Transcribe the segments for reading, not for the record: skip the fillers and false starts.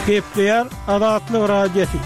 Gepleýär Azatlyk Radiosy.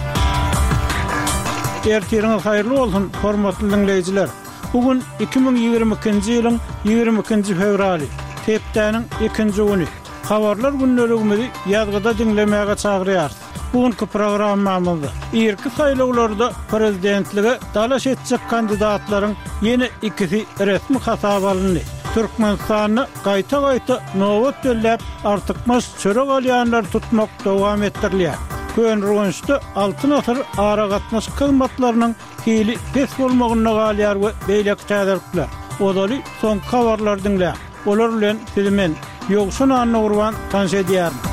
Ertiriňiz haýyrly bolsun, hormatly diňleýjiler! Bu gün 2022-nji ýylyň 22-nji fewraly, hepdäniň ikinji güni. Habarlar gündeligimizi ýazgyda diňlemäge çagyrýarys. Bu günki programmamyzda irki saýlawlarda prezidentlige dalaş etjek kandidatlaryň ýene ikisi resmi hasaba alyndy. Türkmenistanda gaýta-gaýta nobat belläp, artykmaç çörek alýanlary tutmak dowam etdirilýär. Köneürgençde Altyn asyr aragatnaşyk hyzmatlarynyň hili pes bolmagynda galýar we beýleki täzelikler. Ozaly soňky habarlary diňläň. Olar bilen sizi men, Ýowşan Annagurban tanyş edýärin.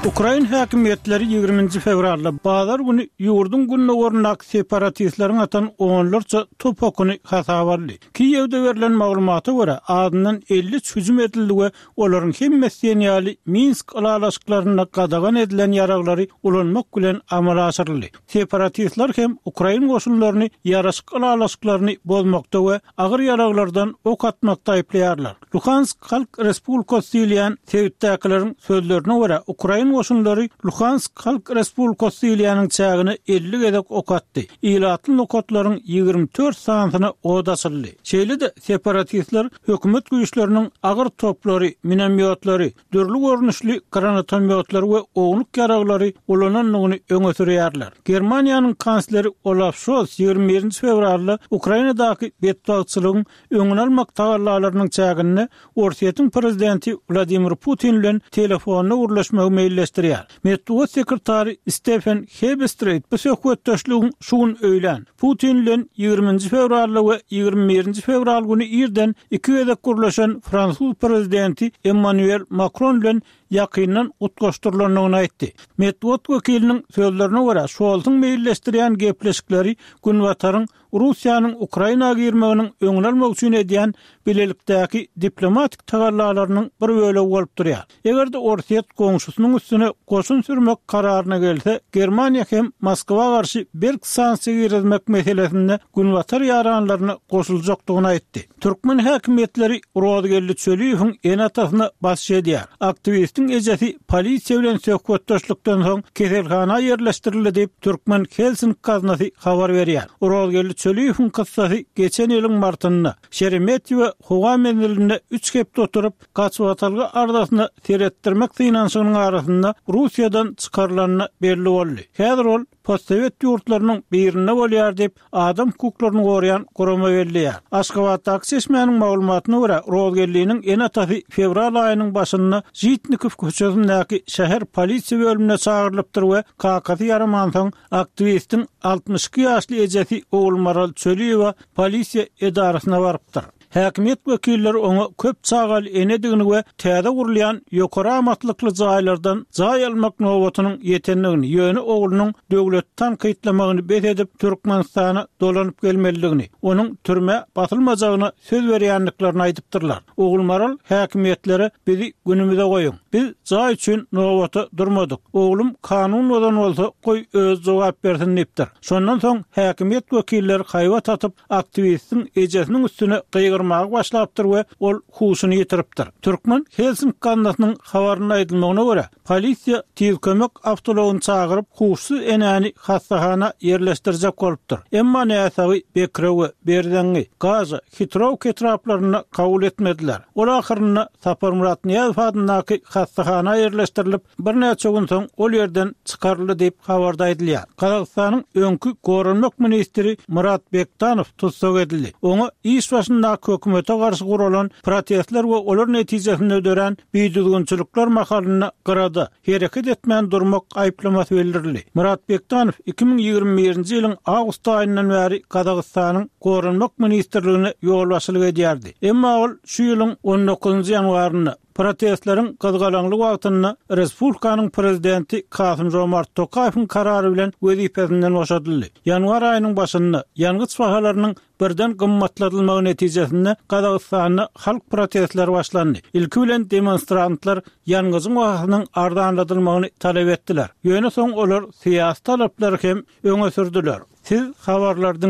Ukrain häkimiýetleri 20 nji fewralda, bazar güni ýurduň gündogaryndaky separatistleriň atan onlarça top okuny hasaba aldy. Kiýewde berlen maglumata görä, azyndan 53 hüjüm edildi we olaryň hemmesi diýen ýaly Minsk ylalaşyklarynda gadagan edilen ýaraglary ulanmak bilen amala aşyryldy. Separatistler hem ukrain goşunlaryny ýaraşyk ylalaşyklaryny bozmakda we agyr ýaraglardan ok atmakda aýyplaýarlar. Luhansk Halk Respublikasy diýilýän sebitdäkileriň sözlerine görä, ukrain goşunlary Luhansk Halk Respublikasy diýilýäniň çägine 50 gezek ok atdy, ilatly nokatlaryň 24 sanysyna od açyldy. Şeýle-de, separatistler hökümet güýçleriniň agyr toplary, minomýotlary, dürli görnüşli granatomýotlary we ownuk ýaraglary ulanandygyny öňe sürýärler. Germaniýanyň kansleri Olaf Şolz 21 nji fewralda Ukrainadaky betbagtçylygyň öňüni almak tagallalarynyň çäginde Orsýetiň prezidenti Wladimir Putin bilen telefonda gürleşmegi meýilleşdirýär. Metbugat sekretary Stefen Hebestreýt bu söhbetdeşligiň şu gün öýlän, Putin bilen 20 nji fewralda we 21 nji fewral güni irden iki gezek gürleşen fransuz prezidenti Emmanuel Makron bilen ýakyndan utgaşdyrylandygyny aýtdy. Metbugat wekiliniň sözlerine görä, Şolsuň meýilleşdirýän gepleşikleri Günbataryň Russiýanyň Ukraina girmeginiň öňüni almak üçin edýän bilelikdäki diplomatik tagallalarynyň bir bölegi bolup durýar. Eger-de Orsýet goňşusynyň üstüne goşun sürmek kararyna gelse, Germaniýa hem Moskwa garşy berk sanksiýa girizmek meselesinde Günbatar ýaranlaryna goşuljakdygyny aýtdy. Türkmen häkimiýetleri Rozgeldi Çöliýewiň ene-atasyna basyş edýär. Aktiwistiň ejesi polisiýa bilen söhbetdeşlikden soň keselhana ýerleşdirildi diýip, Türkmen Helsinki gaznasy habar berýär. Rozgeldi Çöliýewiň kyssasy geçen ýylyň martynda, Şeremetýewo howa menzilinde üç hepde oturyp, gaçybatalga arzasyna seretdirmek synanyşygynyň arasynda Russiýadan çykarylanda belli boldy. Häzir ol postsowet ýurtlarynyň birinde bolýar diýip, adam hukuklaryny goraýan gurama belleýär. Aşgabatdaky çeşmäniň maglumatyna görä, Rozgeldiniň ene-atasy fewral aýynyň başynda Žitnikow köçesindäki şäher polisiýa bölümine çagyrylypdyr we kakasy ýaramansoň, aktiwistiň 62 ýaşly ejesi Ogulmaral Çöliýewa polisiýa edarasyna barypdyr. Häkimiýet wekilleri oňa köp çagaly enedigini we täze gurulýan ýokary amatlykly jaýlardan jaý almak nobatynyň ýetendigini, ýöne oglunyň döwleti tankytlamagyny bes edip, Türkmenistana dolanyp gelmelidigini, onuň türmä basylmajagyna söz berýändiklerini aýdypdyrlar. Ogulmaral häkimiýetlere bizi günümize goýuň. Biz jaý üçin nobata durmadyk. Oglum kanun bozan bolsa, goý özi jogap bersin diýipdir. Şondan soň häkimiýet wekilleri haýbat atyp, aktiwistiň ejesiniň üstüne gygyrmaga başlapdyr we ol huşuny ýitiripdir. Türkmen Helsinki gaznasynyň habarynda aýdylmagyna görä, polisiýa tiz kömek awtoulagyny çagyryp, huşsuz enäni hassahana ýerleşdirjek bolupdyr. Emma näsagy Bekrewe, Berzeňňi, Gaža, Hitrowka etraplarynda kabul etmediler. Ol ahyrynda Saparmyrat Nyýazow adyndaky hassahana ýerleşdirilip, Birnäçe gün soň ol ýerden çykaryldy diýip, habarda aýdylýar. Gazagystanyň öňki goranmak ministri Murat Bektanow tussag edildi. Oňa iş başyndaky hökümete garşy guralan protestler we olar netijesinde dörän bidüzgünçilikler mahalynda gyrada, hereket etmän durmak aýyplamasy bildirildi. Murat Bektanow 2021-nji ýylyň awgust aýyndan bäri Gazagystanyň Goranmak ministrligine ýolbaşçylyk edýärdi. Emma ol şu ýylyň on dokuzynjy ýanwarynda, Protestleriň gyzgalaňly wagtynda respublikanyň prezidenti Kasym-Žomart Tokaýewiň karary bilen wezipesinden boşadyldy. Ýanwar aýynyň başynda, ýangyç bahalarynyň birden gymmatladylmagy netijesinde Gazagystanda halk protestleri başlandy. Ilki bilen demonstrantlar ýangyjyň bahasynyň arzanladylmagyny talap etdiler. Ýöne soň olar syýasy talaplary hem öňe sürdüler. Siz habarlary diňlediňiz.